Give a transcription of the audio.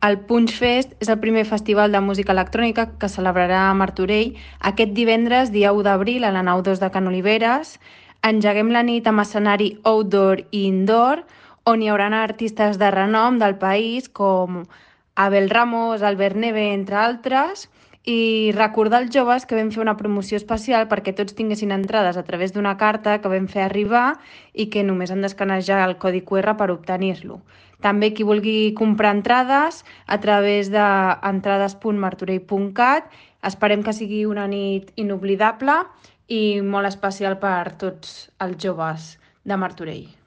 El Punch Fest és el primer festival de música electrònica que es celebrarà a Martorell aquest divendres, dia 1 d'abril, a la nau 2 de Can Oliveres. Engeguem la nit amb escenari outdoor i indoor, on hi haurà artistes de renom del país com Abel Ramos, Albert Neve, entre altres, i recordar als joves que vam fer una promoció especial perquè tots tinguessin entrades a través d'una carta que vam fer arribar i que només han d'escanejar el codi QR per obtenir-lo. També qui vulgui comprar entrades a través d'entrades.martorell.cat. Esperem que sigui una nit inoblidable i molt especial per tots els joves de Martorell.